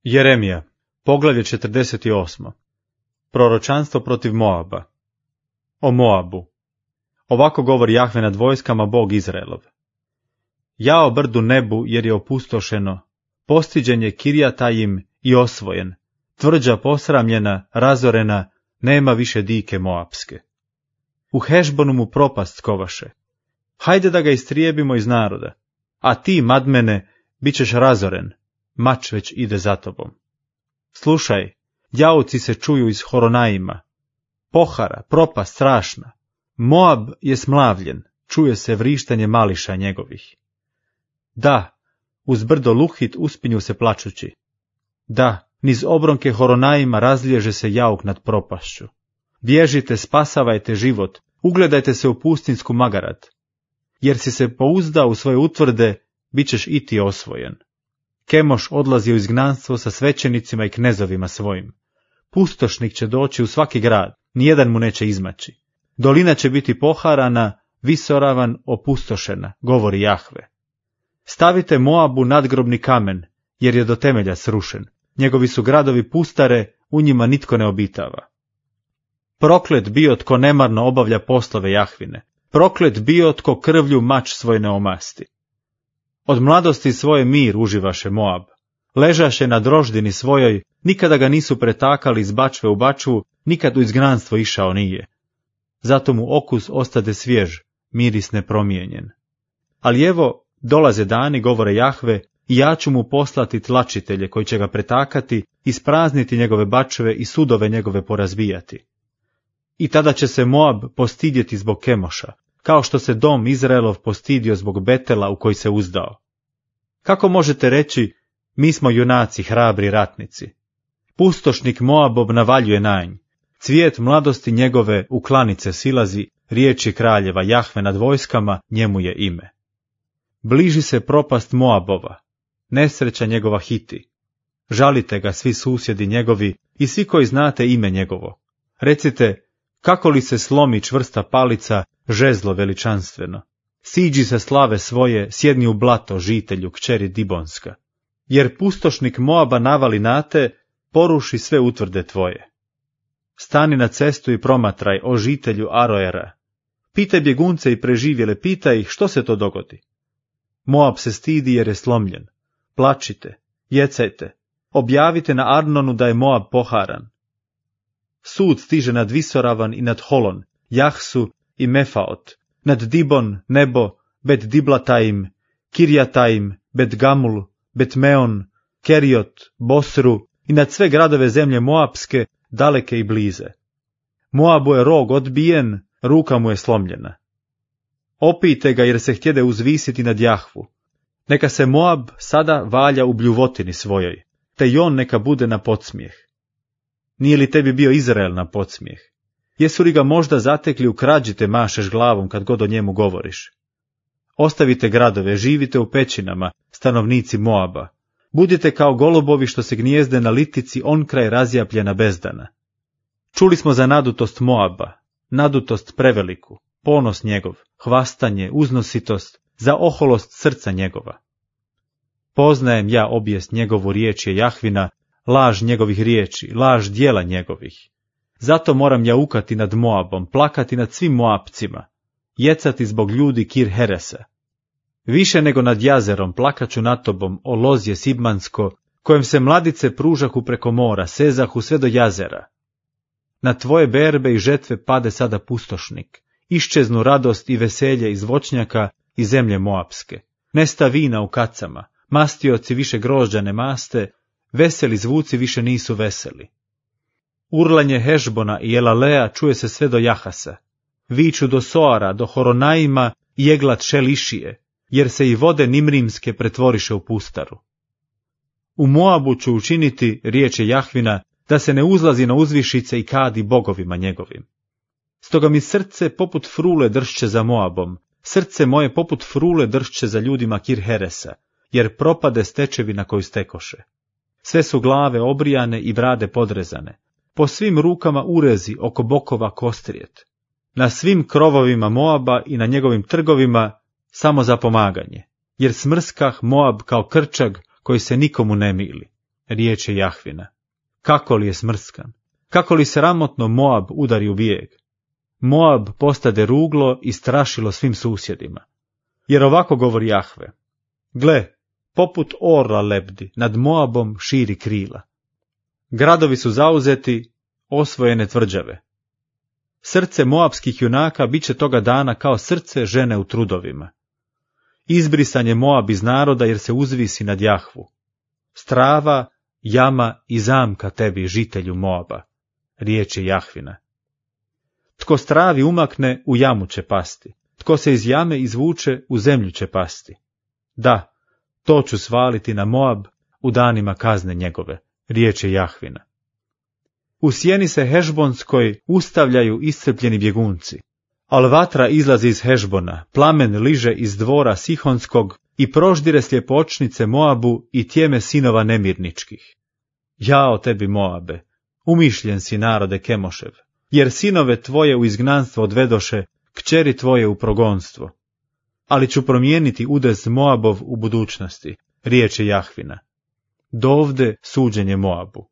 Jeremija, poglavlje 48. Proročanstvo protiv Moaba. O Moabu. Ovako govori Jahve nad vojskama, Bog Izraelov. Jao brdu nebu, jer je opustošeno, postiđen je Kirjatajim i osvojen, tvrđa posramljena, razorena, nema više dike moapske. U Hešbonu mu propast skovaše. Hajde da ga istrijebimo iz naroda, a ti, Madmene, bit ćeš razoren, mač već ide za tobom. Slušaj, jauci se čuju iz Horonaima, pohara, propast strašna. Moab je smlavljen, čuje se vrištanje mališa njegovih. Da, uz brdo Luhit uspinju se plačući. Da, niz obronke Horonaima razliježe se jauk nad propašću. Bježite, spasavajte život, ugledajte se u pustinsku Magarat. Jer si se pouzdao u svoje utvrde, bit ćeš i ti osvojen. Kemoš odlazi u izgnanstvo sa svećenicima i knezovima svojim. Pustošnik će doći u svaki grad, nijedan mu neće izmaći. Dolina će biti poharana, visoravan, opustošena, govori Jahve. Stavite Moabu nadgrobni kamen, jer je do temelja srušen. Njegovi su gradovi pustare, u njima nitko ne obitava. Proklet bio tko nemarno obavlja poslove Jahvine. Proklet bio tko krvlju mač svoj ne omasti. Od mladosti svoje mir uživaše Moab. Ležaše na droždini svojoj, nikada ga nisu pretakali iz bačve u bačvu, nikad u izgnanstvo išao nije. Zato mu okus ostade svjež, miris nepromijenjen. Ali evo, dolaze dani, govore Jahve, i ja ću mu poslati tlačitelje koji će ga pretakati, isprazniti njegove bačve i sudove njegove porazbijati. I tada će se Moab postidjeti zbog Kemoša, kao što se dom Izraelov postidio zbog Betela u koji se uzdao. Kako možete reći, mi smo junaci, hrabri ratnici? Pustošnik Moabov navaljuje na nj, cvijet mladosti njegove u klanice silazi, riječi kraljeva Jahve nad vojskama, njemu je ime. Bliži se propast Moabova, nesreća njegova hiti. Žalite ga svi susjedi njegovi i svi koji znate ime njegovo. Recite, kako li se slomi čvrsta palica, žezlo veličanstveno. Siđi se slave svoje, sjedni u blato, žitelju, kćeri Dibonska. Jer pustošnik Moaba navali na te, poruši sve utvrde tvoje. Stani na cestu i promatraj, o žitelju Aroera. Pitaj bjegunce i preživjele, pitaj ih što se to dogodi. Moab se stidi jer je slomljen. Plačite, jecajte, objavite na Arnonu da je Moab poharan. Sud stiže nad Visoravan i nad Holon, Jahsu i Mefaot, nad Dibon, Nebo, Bet Diblatajim, Kirjatajim, Bet Gamul, Bet Meon, Keriot, Bosru i nad sve gradove zemlje Moabske, daleke i blize. Moabu je rog odbijen, ruka mu je slomljena. Opijte ga jer se htjede uzvisiti nad Jahvu. Neka se Moab sada valja u bljuvotini svojoj, te i on neka bude na podsmijeh. Nije li tebi bio Izrael na podsmijeh? Jesu li ga možda zatekli u krađi te mašeš glavom kad god o njemu govoriš? Ostavite gradove, živite u pećinama, stanovnici Moaba. Budite kao golubovi što se gnijezde na litici on kraj razjapljena bezdana. Čuli smo za nadutost Moaba, nadutost preveliku, ponos njegov, hvastanje, uznositost, za oholost srca njegova. Poznajem ja obijest njegovu, riječ je Jahvina, laž njegovih riječi, laž djela njegovih. Zato moram jaukati nad Moabom, plakati nad svim Moabcima, jecati zbog ljudi Kir Heresa. Više nego nad jazerom plakaću nad tobom, o lozje Sibmansko, kojem se mladice pružahu preko mora, sezahu sve do jazera. Na tvoje berbe i žetve pade sada pustošnik, iščeznu radost i veselje iz voćnjaka i zemlje Moabske. Nesta vina u kacama, mastioci više grožđa ne maste, veseli zvuci više nisu veseli. Urlanje Hešbona i Elalea čuje se sve do Jahasa. Viču do Soara, do Horonaima i Eglat Šelišije, jer se i vode Nimrimske pretvoriše u pustaru. U Moabu ću učiniti, riječ je Jahvina, da se ne uzlazi na uzvišice i kadi bogovima njegovim. Stoga mi srce poput frule dršće za Moabom, srce moje poput frule dršće za ljudima Kir Heresa, jer propade stečevina koju stekoše. Sve su glave obrijane i brade podrezane, po svim rukama urezi, oko bokova kostrijet. Na svim krovovima Moaba i na njegovim trgovima samo za pomaganje, jer smrskah Moab kao krčag koji se nikomu ne mili. riječ je Jahvina. Kako li je smrskan, kako li sramotno Moab udari u bijeg. Moab postade ruglo i strašilo svim susjedima. Jer ovako govori Jahve: gle, poput orla lebdi, nad Moabom širi krila. Gradovi su zauzeti, osvojene tvrđave. Srce moabskih junaka bit će toga dana kao srce žene u trudovima. Izbrisan je Moab iz naroda jer se uzvisi nad Jahvu. Strava, jama i zamka tebi, žitelju Moaba, riječ je Jahvina. Tko stravi umakne, u jamu će pasti. Tko se iz jame izvuče, u zemlju će pasti. Da, to ću svaliti na Moab u danima kazne njegove, riječ je Jahvina. U sjeni se Hešbonskoj ustavljaju iscrpljeni bjegunci, al vatra izlazi iz Hešbona, plamen liže iz dvora Sihonskog i proždire sljepočnice Moabu i tjeme sinova nemirničkih. Jao tebi, Moabe, umišljen si, narode Kemošev, jer sinove tvoje u izgnanstvo odvedoše, kćeri tvoje u progonstvo. Ali ću promijeniti udes Moabov u budućnosti, riječ je Jahvina. Dovde suđenje Moabu.